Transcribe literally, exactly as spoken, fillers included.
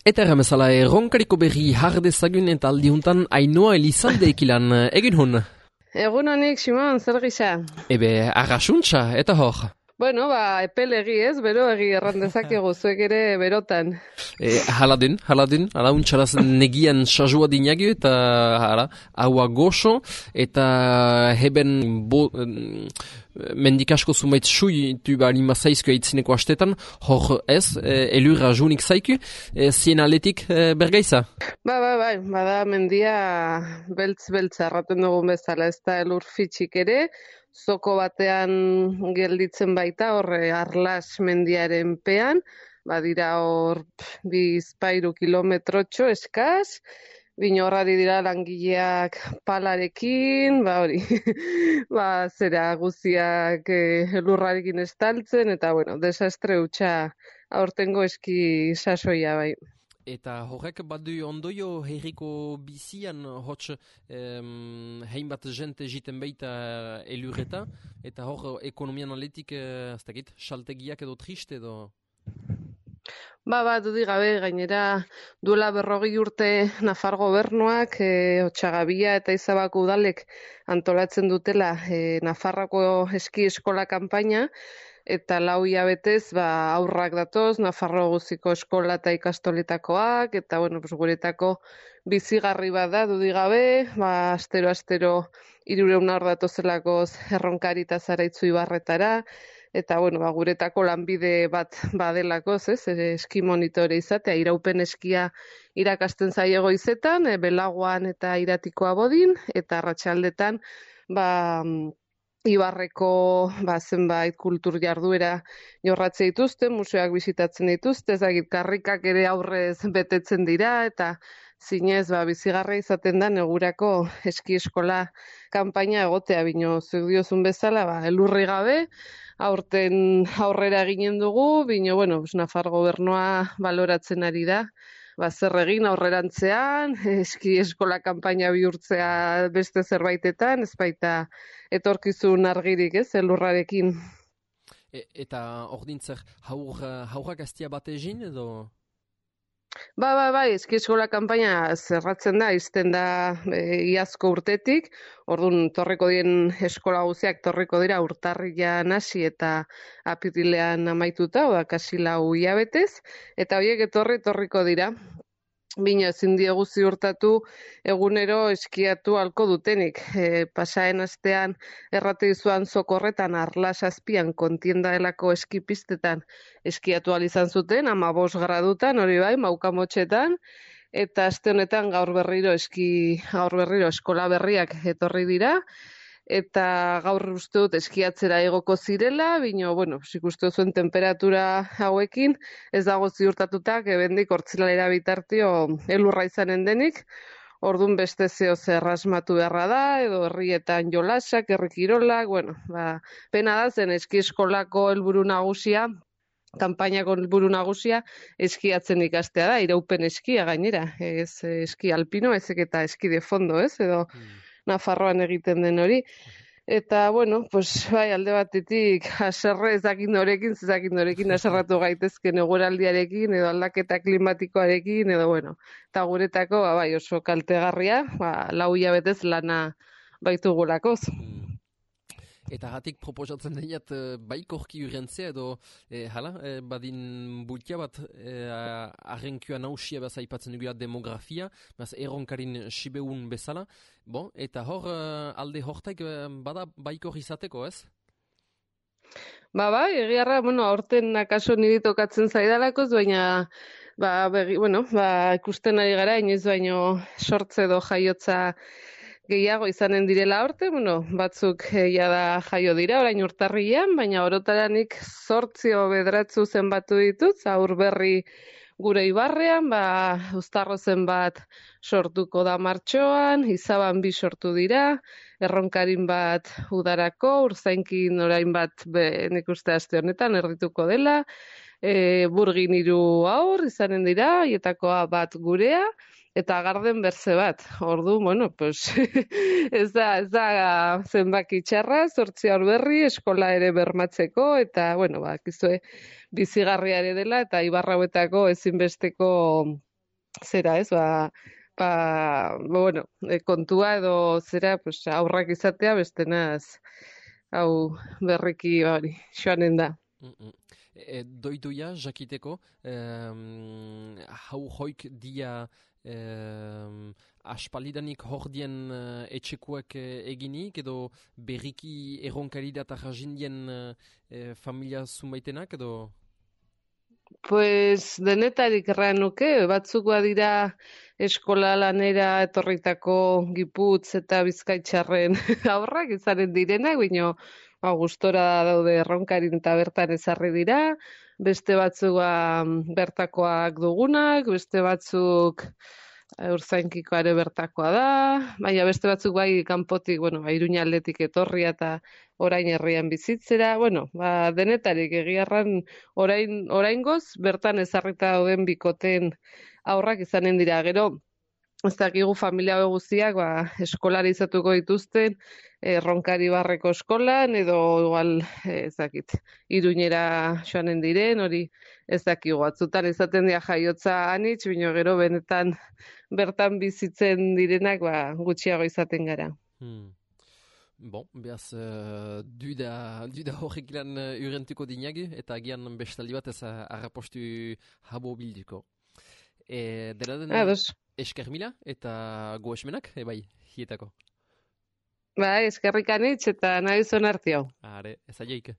Eta erramezala, erronkariko berri jardezagun eta aldihuntan Ainoa Elizalde ekilan egin hun. Egun honik, Simon, zer gisa? Ebe, arrasuntza, eta hor. Bueno, ba, epel egi ez, bero egi errandezakegu, zuek ere berotan. E, haladun, haladun, hala untxaraz negian sajua dinagu eta hala, haua goxo eta heben bo, mendikasko zumait sui tu balima zaizku eitzineko astetan, hor ez, e, elur rajunik zaiku, e, zien aletik e, bergaiza? Ba, ba, ba, bada mendia beltz-beltz arraten dugun bezala, ez da elur fitxik ere, zoko batean gelditzen baita, horre Arlas mendiaren pean, badira hor bizpairu kilometrotxo eskaz, bino horrari dira langileak palarekin, ba hori, ba zera guziak eh, elurrarekin estaltzen, eta bueno, desastre hutsa aurtengo eski sasoia bai. Eta horrek badu ondoio herriko bizian hots em, hainbat jente jiten baita elurreta, eta hor ekonomian aletik, eh, ez dakit, saltegiak edo triste edo... Ba, ba, dudik gabe, gainera duela berrogei urte Nafar gobernuak, e, Otxagabia eta Izabako udalek antolatzen dutela e, Nafarrako eski eskola kanpaina, eta lau hilabetez ba, aurrak datoz, Nafarro guziko eskola eta ikastoletakoak, eta bueno, pues, guretako bizigarri bat da, dudik gabe, ba, astero-astero hirurehun haur datozelakoz erronkari eta Zaraitzu ibarretara, eta bueno, ba, guretako lanbide bat badelako, ez, eski monitore izatea, iraupen eskia irakasten zaio goizetan, e, belagoan eta iratikoa bodin, eta arratsaldetan ba, Ibarreko ba, zenbait kultur jarduera jorratze dituzte, museoak bisitatzen dituzte, ezagik karrikak ere aurrez betetzen dira, eta zinez ba, bizigarra izaten da negurako eski eskola kanpaina egotea, bino zuek diozun bezala, ba, elurri gabe, aurten aurrera eginen dugu, bino, bueno, Nafar gobernua baloratzen ari da, ba, zer egin aurrerantzean, eski eskola kanpaina bihurtzea beste zerbaitetan, ez baita etorkizun argirik, ez, elurrarekin. E, eta hor dintzer, haur, haurrak aztia bat egin edo... Ba, ba, bai, eski eskola kanpaina zerratzen da, izten da e, iazko urtetik, orduan torreko dien eskola guziak torreko dira urtarrian hasi eta apirilean amaituta, oda kasi lau hilabetez, eta horiek etorri torriko dira. Bina, ezin diegu ziurtatu egunero eskiatu halko dutenik. E, pasaen astean errate izuan zokorretan Arlas azpian kontienda delako eskipistetan eskiatu ahal izan zuten, hamabost gradutan, hori bai, maukamotxetan, eta aste honetan gaur berriro eski, gaur berriro eskola berriak etorri dira, eta gaur uste dut eskiatzera egoko zirela, bino, bueno, ikuste zuen temperatura hauekin, ez dago ziurtatuta, gebendik hortzilalera bitartio elurra izanen denik, orduan beste zeo zer asmatu beharra da, edo herrietan jolasak, herrikirolak, bueno, ba, pena da zen eski eskolako helburu nagusia, kanpainako helburu nagusia eskiatzen ikastea da, iraupen eskia gainera, ez eski alpino, ezek eta eski de fondo, ez, edo hmm. Nafarroan egiten den hori. Eta, bueno, pues, bai, alde batetik, haserre ezakin norekin, ezakin norekin haserratu gaitezken eguraldiarekin, edo aldaketa klimatikoarekin, edo, bueno, eta guretako, ba, bai, oso kaltegarria, ba, lau hilabetez lana baitugulakoz. Eta hatik proposatzen deniat e, baikorki urrentzea edo e, hala, e, badin bultia bat e, arrenkua nausia beza ipatzen dugu demografia, baz erronkarin sibeun bezala, bon, eta hor alde hortaik bada baikor izateko, ez? Ba, bai, egiarra, bueno, aurten akaso niri tokatzen zaidalakoz, baina ba, begi, bueno, ba, ikusten ari gara, inoiz baino sortze edo jaiotza gehiago izanen direla aurte, bueno, batzuk ja da jaio dira, orain urtarrian, baina orotaranik zortzio bedratzu zenbatu ditut, aur berri gure ibarrean, ba, uztarro zenbat sortuko da martxoan, izaban bi sortu dira, erronkarin bat udarako, urzainkin orain bat be, nik uste aste honetan erdituko dela, e, burgin hiru aur izanen dira, hietakoa bat gurea, eta garden berze bat. Ordu, bueno, pues, ez da, ez da zenbaki txarra, zortzi aur berri, eskola ere bermatzeko, eta, bueno, ba, kizue bizigarria ere dela, eta ibarrauetako ezinbesteko zera, ez, ba, ba, bueno, e, kontua edo zera, pues, aurrak izatea, bestenaz, hau berriki hori, joanen da. Mm, mm. E, doidoia, jakiteko, em, hau hoik dia em, aspalidanik hor dien eh, etxekuak eh, eginik, edo berriki erronkari da eta jazindien eh, eh, familia zumaitenak, edo... Pues denetarik erran nuke, batzuk badira eskola lanera etorritako Giputz eta Bizkaitxarren aurrak izanen direnak, baina ba, gustora daude erronkarin eta bertan ezarri dira, beste batzuk ba, bertakoak dugunak, beste batzuk eh, Urzainkikoa ere bertakoa da, baina beste batzuk bai kanpotik, bueno, ba, Iruña aldetik etorria eta orain herrian bizitzera, bueno, ba, denetarik egiarran orain, oraingoz bertan ezarrita dauden bikoten aurrak izanen dira. Gero, ez dakigu familia hau guztiak ba, eskolaritzatuko dituzten erronkari barreko eskolan edo igual eh, ez dakit Iruñera joanen diren, hori ez dakigu. Batzutan izaten dira jaiotza anitz, baina gero benetan bertan bizitzen direnak ba, gutxiago izaten gara. Hmm. Bon, behaz, uh, duda, duda horrek lan uh, urentuko dinagi, eta agian bestaldi bat ez uh, arrapostu habo bilduko. E, dela den Ados. esker mila eta goesmenak, ebai, hietako. Bai, eskerrik anitz eta nahi zuen arti hau. Are, ez aioik.